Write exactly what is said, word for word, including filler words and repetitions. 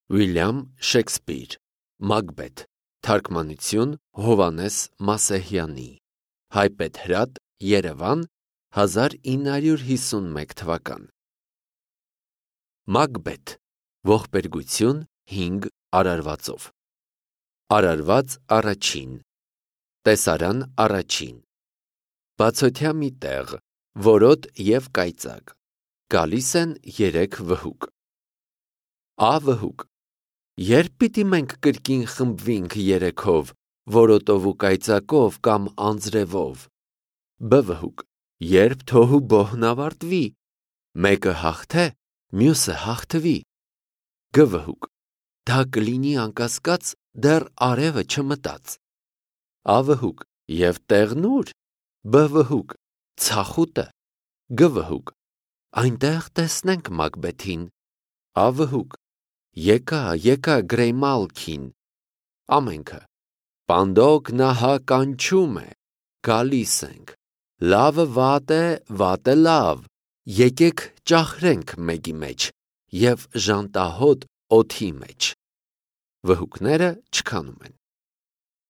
Վիլյամ Շեքսպիր, Մակբեթ, թարգմանություն Հովհաննես Մասեհյանի, Հայբեթ Հրատ, Երևան, հազար ինը հարյուր հիսունմեկ թվական։ Մակբեթ, ողբերգություն հինգ արարվածով։ Արարված առաջին, տեսարան առաջին, բացօթյա մի տեղ, որոտ և կայծակ, գալիս են երեք վհուկ։ Ա վհուկ. Երբ պիտի մենք կրկին խմբվինք երեքով, որոտով ու կայծակով կամ անձրևով։ Բ վհուկ. Երբ թոհու բոհն ավարտվի, մեկը հաղթե, մյուսը հաղթվի։ Գ վհուկ. Դա կլինի անկասկած, դեռ արևը չմտած։ Ա վհուկ. Եվ տեղն ո՞ւր։ Բ վհուկ. Ցախուտը։ Գ վհուկ. Այնտեղ տեսնենք Մակբեթին։ Ա վհուկ. Եկա, եկա Գրեյմալքին։ Ամենքը. Պանդոկ նահա կանչում է, գալիս ենք, լավը վատ է, վատը լավ, եկեք ճախրենք մեկի մեջ և ժանտահոտ օդի մեջ։ Վհուկները չքանում են։